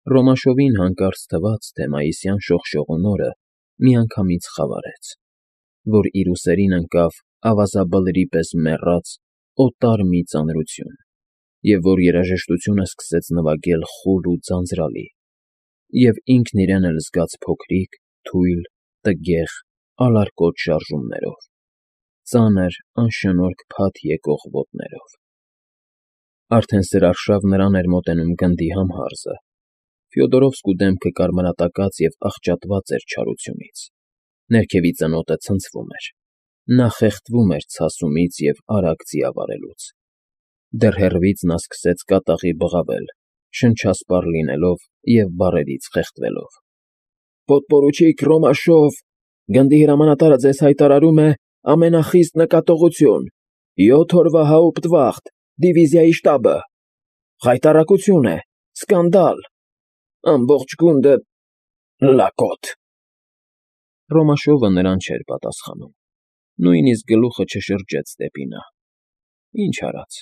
Ռոմաշովին հանկարծ թվաց, թե մայիսյան շողշողուն օրը միանգամից խավարեց, որ իր ուսերին ընկավ ավազաբլրի պես մեռած, օտար մի ծանրություն, և որ երաժշտությունը սկսեց նվագել խուլ ու ձանձրալի, և ինքն իրեն էլ զգաց փոքրիկ, թույլ, տգեղ, ալարկոտ շարժումներով, ծանր, անշնորհք փաթ եկող ոտներով… Արդեն սրարշավ նրան էր մոտենում գնդի համհարզը, Ֆյոդորովսկու դեմքը կարմրատակած և աղճատված էր չարությունից, ներքևի ծնոտը ցնցվում էր, նա խեղդվում էր ցասումից և արագ ձիավարելուց… Դեռ հեռվից նա սկսեց կատաղի բղավել, շնչասպառ լինելով և բառերից խեղդվելով. «Պոդպորուչիկ Ռոմաշով, գնդի հրամանատարը ձեզ հայտարարում է ամենախիստ նկատողություն, 7 օրվա հաուպտվախտ, դիվիզիայի շտաբը… Խայտառակություն է, սկանդալ… Ամբողջ գունդը… լակոտ…» Ռոմաշովը նրան չէր պատասխանում, նույնիսկ գլուխը չշրջեց դեպի նա… Ինչ արած,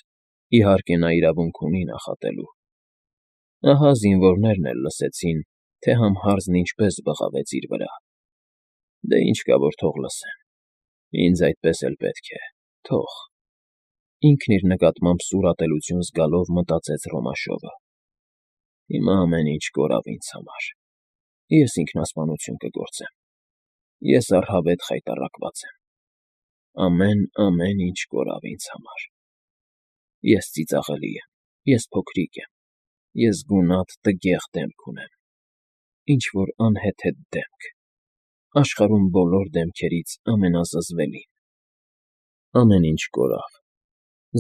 իհարկե նա իրավունք ունի նախատելու… Ահա զինվորներն էլ լսեցին, թե համհարզն ինչպես բղավեց իր վրա… Դե ինչ կա, որ թող լսեն, ինձ այդպես էլ պետք է, թող… Ինքն իր նկատմամբ սուր ատելություն զգալով մտածեց Ռոմաշովը. «Հիմա ամեն ինչ կորավ ինձ համար, ես ինքնասպանություն կգործեմ, ես առհավետ խայտառակված եմ, ամեն ինչ կորավ ինձ համար… Ես ծիծաղելի եմ, ես փոքրիկ եմ, ես գունատ, տգեղ դեմք ունեմ, ինչ֊որ անհեթեթ դեմք, աշխարհում բոլոր դեմքերից ամենազզվելին… Ամեն ինչ կորավ…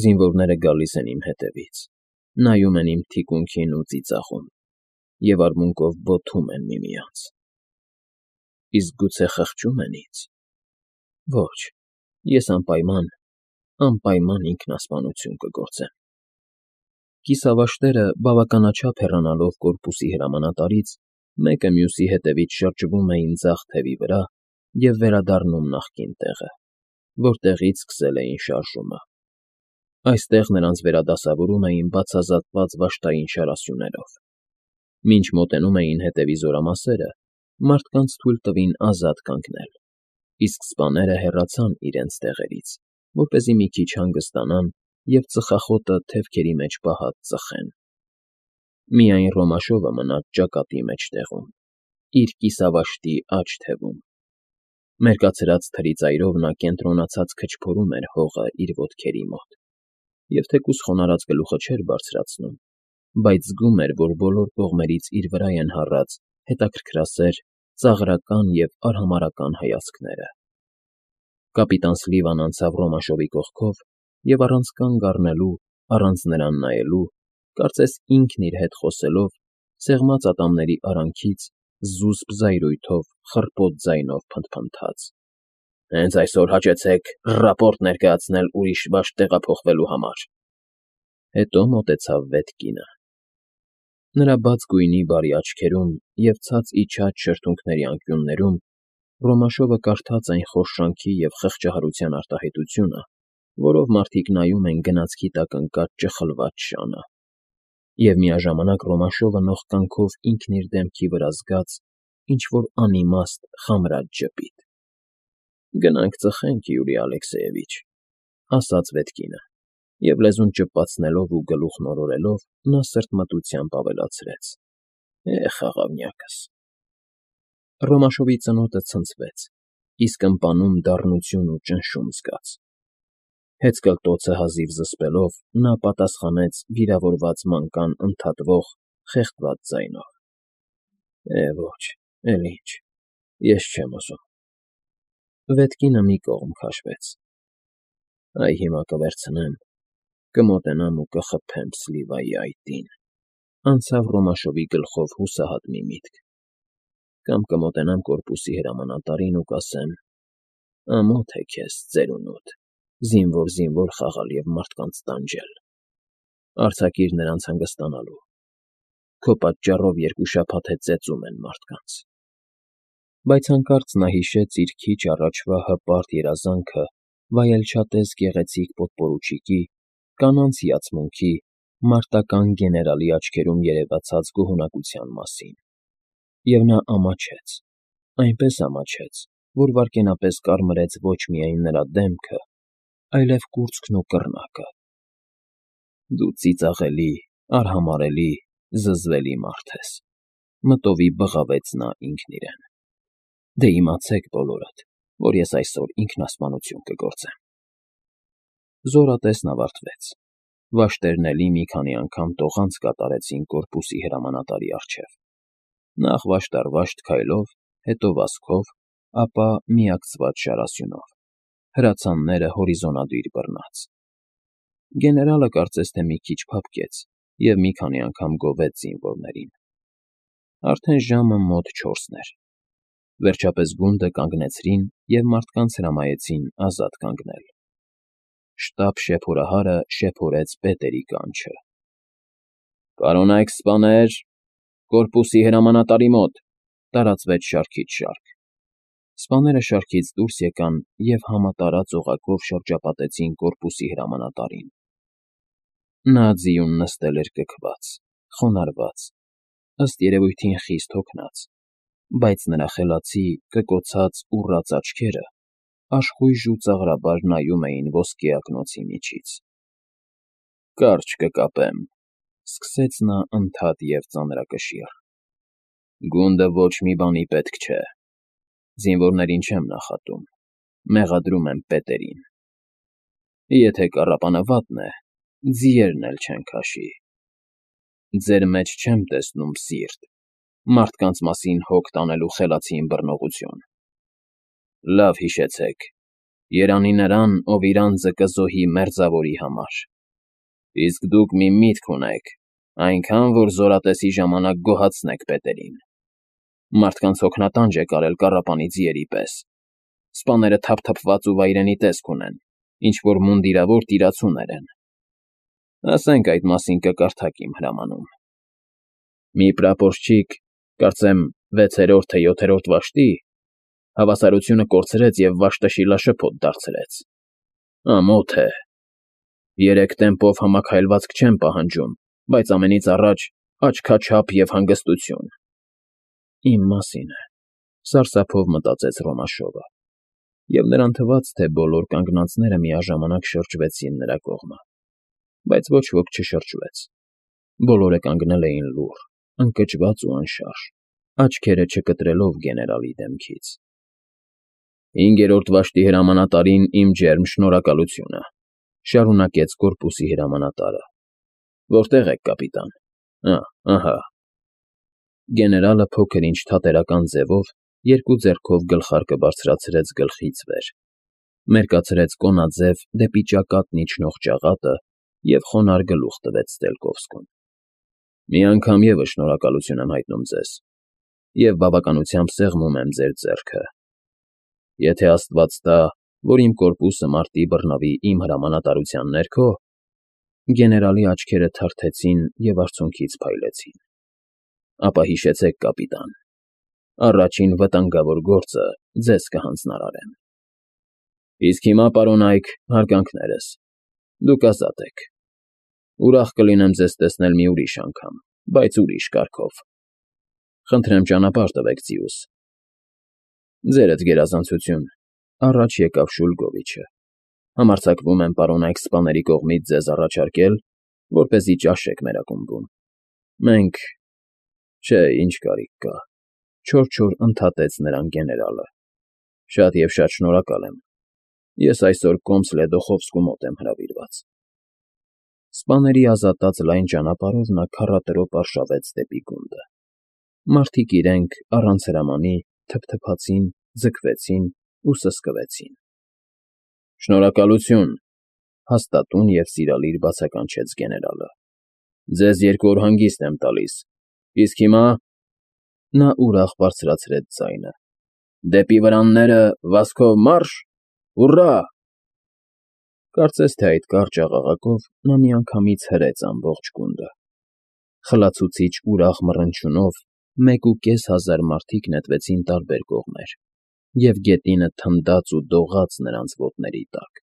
Զինվորները գալիս են իմ հետևից, նայում են իմ թիկունքին ու ծիծաղում և արմունկով բոթում են միմյանց… Իսկ գուցե խղճո՞ւմ են ինձ… Ոչ, ես անպայման ինքնասպանություն կգործեմ…» Կիսավաշտերը, բավականաչափ հեռանալով կորպուսի հրամանատարից, մեկը մյուսի հետևից շրջվում էին ձախ թևի վրա և վերադառնում նախկին տեղը, որտեղից սկսել էին շարժումը… Այստեղ նրանց վերադասավորում էին բացազատված վշտային շարասյուներով… Մինչ մոտենում էին հետևի զորամասերը, մարդկանց թույլ տվին ազատ կանգնել, իսկ սպաները հեռացան իրենց տեղերից, որպեսզի մի քիչ հանգստանան և ծխախոտը թևքերի մեջ պահած ծխեն… Միայն Ռոմաշովը մնաց ճակատի մեջտեղում, իր կիսավաշտի աջ թևում… Մերկացրած թրի ծայրով նա կենտրոնացած քչփորում էր հողը իր ոտքերի մոտ և թեկուզ խոնարհած գլուխը չէր բարձրացնում, բայց զգում էր, որ բոլոր կողմերից իր վրա են հառած հետաքրքրասեր, ծաղրական և արհամարհական հայացքները… Կապիտան Սլիվան անցավ Ռոմաշովի կողքով և առանց կանգ առնելու, առանց նրան նայելու, կարծես ինքն իր հետ խոսելով, սեղմած ատամների արանքից զուսպ զայրույթով խռպոտ ձայնով փնթփնթաց. «Հենց այսօր հաճեցեք ռապորտ ներկայացնել ուրիշ վաշտ տեղափոխվելու համար»… Հետո մոտեցավ Վետկինը… Նրա բաց գույնի բարի աչքերում և ցած իջած շրթունքների անկյուններում Ռոմաշովը կարդաց այն խորշանքի և խղճահարության արտահայտությունը, որով մարդիկ նայում են գնացքի տակ ընկած ճխլված շանը… Եվ միաժամանակ Ռոմաշովը նողկանքով ինքն իր դեմքի վրա զգաց ինչ֊որ անիմաստ խամրած ժպիտ… «Գնանք ծխենք, Յուրի Ալեքսեևիչ», ֊ ասաց Վետկինը, և լեզուն ճպացնելով ու գլուխն օրորելով նա սրտմտությամբ ավելացրեց. «Խաղաղնյակս»… Ռոմաշովի ծնոտը ցնցվեց, իսկ ընպանում դառնություն ու ճնշում զգաց… Հեծկլտոցը հազիվ զսպելով, նա պատասխանեց վիրավորված մանկան ընդհատվող, խեղդված ձայնով. «Ոչ, էլ ինչ, ես չեմ ուզում»… Վետկինը մի կողմ քաշվեց. «Այ հիմա կվերցնեմ, կմոտենամ ու կխփեմ Սլիվայի այտին», ֊ անցավ Ռոմաշովի գլխով հուսահատ մի միտք… «Կամ կմոտենամ կորպուսի հրամանատարին ու կասեմ. ամոթ է քեզ, ծերունուտ, զինվոր խաղալ և մարդկանց տանջել… Արձակիր նրանց հանգստանալու… Քո պատճառով 2 շաբաթ է ծեծում են մարդկանց…» Բայց հանկարծ նա հիշեց իր քիչ առաջվա հպարտ երազանքը վայելչատես գեղեցիկ պոդպորուչիկի, կանանց հիացմունքի, մարտական գեներալի աչքերում երևացած գոհունակության մասին, և նա ամաչեց, այնպես ամաչեց, որ վայրկենապես կարմրեց ոչ միայն նրա դեմքը, այլև կուրծքն ու կռնակը։ «Դու ծիծաղելի, արհամարհելի, զզվելի մարդ ես,֊ մտովի բղավեց նա ինքն իրեն։֊ Դե իմացեք բոլորդ, որ ես այսօր ինքնասպանություն կգործեմ»։ Զորատեսն ավարտվեց։ Վաշտերն մի քանի անգամ տողանց կատարեցին կորպուսի հրամանատարի առջև, նախ վաշտարվաշտ քայլով, հետո վազքով, ապա միակցված շարասյունով, հրացանները հորիզոնադիր բռնած։ Գեներալը կարծես թե մի քիչ փափկեց և մի քանի անգամ գովեց զինվորներին։ Արդեն ժամը մոտ 4-ն էր։ Վերջապես գունդը կանգնեցրին և մարդկանց հրամայեցին ազատ կանգնել։ Շտաբ շեփորահարը շեփորեց պետերի կանչը. «Պարոնայք սպաներ, կորպուսի հրամանատարի մոտ», տարածվեց շարքից շարք։ Սպաները շարքից դուրս եկան և համատարած օղակով շրջապատեցին կորպուսի հրամանատարին։ Նա ձիուն նստել էր կքված, խոնարհված, ըստ երևույթին խիստ հոգնած, բայց նրա խելացի, կկոցած, ուռած աչքերը աշխույժ ու ծաղրաբար նայում էին ոսկե ակնոցի միջից։ «Կարճ կկապեմ,֊ սկսեց նա ընդհատ և ծանրակշիռ,֊ գունդը ոչ մի բանի պետք չէ։ Զինվորներին չեմ նախատում, մեղադրում եմ պետերին։ Եթե կառապանը վատն է, ձիերն էլ չեն քաշի։ Ձեր մեջ չեմ տեսնում սիրտ, մարդկանց մասին հոգ տանելու խելացի ըմբռնողություն։ Լավ հիշեցեք, երանի նրան, ով իր անձը կզոհի մերձավորի համար։ Իսկ դուք մի միտք ունեք, այնքան, որ զորատեսի ժամանակ գոհացնեք պետերին։ Մարդկանց հոգնատանջ եք արել կառապանի ձիերի պես։ Սպաները թափթփված ու վայրենի տեսք ունեն, ինչ-որ մունդիրավոր տիրացուներ են։ Ասենք այդ մասին կկարդաք իմ հրամանում։ Մի պրապորչիկ, կարծեմ 6-րդ թե 7-րդ վաշտի, հավասարությունը կորցրեց և վաշտը շիլաշփոթ դարձրեց։ Ամոթ է։ 3 տեմպով համաքայլվածք չեմ պահանջում, բայց ամենից առաջ աչքաչափ և հանգստություն։ Իմ մասին է, սարսափով մտածեց Ռոմաշովը, և նրան թվաց, թե բոլոր կանգնածները միաժամանակ շրջվեցին նրա կողմը, բայց ոչ ոք չշրջվեց։ Բոլորը կանգնել էին լուռ, ընկճված ու անշարժ, աչքերը չկտրելով գեներալի դեմքից։ 5-րդ վաշտի հրամանատարին իմ ջերմ շնորհակալությունը,֊ շարունակեց կորպուսի հրամանատարը։ Որտե՞ղ եք, կապիտան։ Ահա։ Գեներալը փոքր-ինչ թատերական ձևով երկու ձեռքով գլխարկը բարձրացրեց գլխից վեր, մերկացրեց կոնաձև դեպի ճակատն իջնող ճաղատը և խոնարհ գլուխ տվեց Ստելկովսկուն։ Մի անգամ ևս շնորհակալություն եմ հայտնում ձեզ և բավականությամբ սեղմում եմ ձեր ձեռքը։ Եթե Աստված տա, որ իմ կորպուսը մարտի բռնավի իմ հրամանատարության ներքո… Գեներալի աչքերը թարթեցին և արցունքից փայլեցին։ Ապա հիշեցեք, կապիտան, առաջին վտանգավոր գործը ձեզ կհանձնարարեմ։ Իսկ հիմա, պարոնայք, հարգանքներս, դուք ազատ եք։ Ուրախ կլինեմ ձեզ տեսնել մի ուրիշ անգամ, բայց ուրիշ կարգով։ Խնդրեմ ճանապարհ տվեք ձիուս։ Ձերդ գերազանցություն, առաջ եկավ Շուլգովիչը։ Համարձակվում եմ պարոնայք սպաների կողմից ձեզ առաջարկել, որպեսզի ճաշեք մեր ակումբում։ Մենք… Չէ, ինչ կարիք կա,֊ չոր-չոր ընդհատեց նրան գեներալը։ Շատ և շատ շնորհակալ եմ։ Ես այսօր Կոմս֊Լեդոխովսկու մոտ եմ հրավիրված։ Սպաների ազատած լայն ճանապարհով նա քառատրոպ արշավեց դեպի գունդը։ Մարդիկ իրենք, առանց հրամանի, թփթփացին, ձգվեցին ու սսկվեցին։ Շնորհակալություն,֊ հաստատուն և սիրալիր բացականչեց գեներալը։ Ձեզ 2 օր հանգիստ եմ տալիս, իսկ հիմա… Նա ուրախ բարձրացրեց ձայնը։ Դեպի վրանները վազքով մա՛ռշ, հուռա… Կարծես թե այդ կարճ աղաղակով նա միանգամից հրեց ամբողջ գունդը։ Խլացուցիչ ուրախ մռնչյունով 1,500 մարդիկ նետվեցին տարբեր կողմեր, և գետինը թնդաց ու դողաց նրանց ոտների տակ։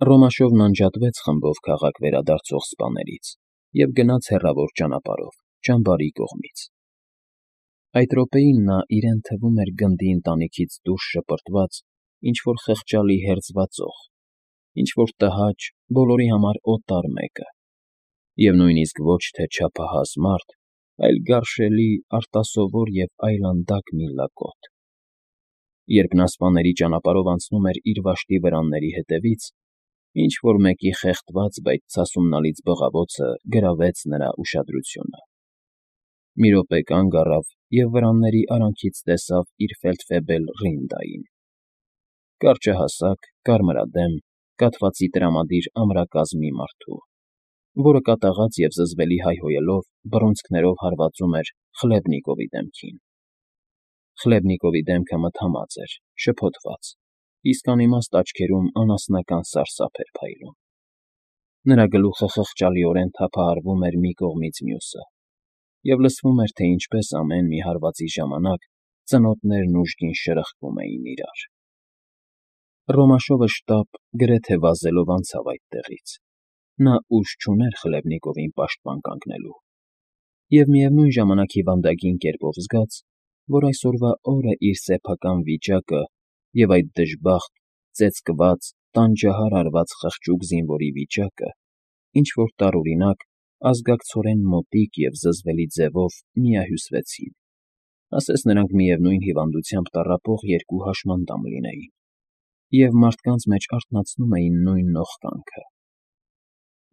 Ռոմաշովն անջատվեց խմբով քաղաք վերադարձող սպաներից և գնաց հեռավոր ճանապարհով, ճամբարի կողմից։ Այդ րոպեին նա իրեն թվում էր գնդի ընտանիքից դուրս շպրտված ինչ֊որ խղճալի հերձվածող, ինչ֊որ տհաճ, բոլորի համար օտար մեկը, և նույնիսկ ոչ թե չափահաս մարդ, այլ գարշելի, արտասովոր և այլանդակ մի լակոտ։ Երբ նա սպաների ճանապարհով անցնում էր իր վշտի վրանների հետևից, ինչ֊որ մեկի խեղդված, բայց սասունալից բղավոցը գրավեց նրա ուշադրությունը։ Մի րոպե կանգ առավ և վրանների արանքից տեսավ իր ֆելդֆեբել Ռինդային. կարճահասակ, կարմրադեմ, կաթվածի տրամադիր ամրակազմի մարդու, որը կատաղած և զզվելի հայհոյելով բռունցքներով հարվածում էր Խլեբնիկովի դեմքին։ Խլեբնիկովի դեմքը մթամած էր, շփոթված, իսկ անիմաստ աչքերում անասնական սարսափ էր փայլում։ Նրա գլուխը խղճալիորեն թափահարվում էր մի կողմից մյուսը, և լսվում էր, թե ինչպես ամեն մի հարվածի ժամանակ ծնոտներն ուժգին շրխկում էին իրար։ Ռոմաշովը շտապ, գրեթե վազելով անցավ այդտեղից։ Նա ուժ չուներ Խլեբնիկովին պաշտպան կանգնելու և միևնույն ժամանակ հիվանդագին կերպով զգաց, որ այսօրվա օրը իր սեփական վիճակը և այդ դժբախտ, ծեծկված, տանջահար արված խղճուկ զինվորի վիճակը ինչ֊որ տարօրինակ, ազգակցորեն մոտիկ և զզվելի ձևով միահյուսվեցին, ասես նրանք միևնույն հիվանդությամբ տառապող երկու հաշմանդամ լինեին և մարդկանց մեջ արթնացնում էին նույն նողկանքը։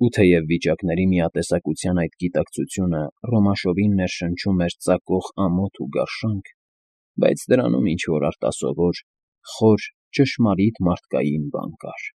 Ու թեև վիճակների միատեսակության այդ գիտակցությունը Ռոմաշովին ներշնչում էր ծակող ամոթ ու գարշանք, բայց դրանում ինչ֊որ արտասովոր, խոր, ճշմարիտ մարդկային բան կար։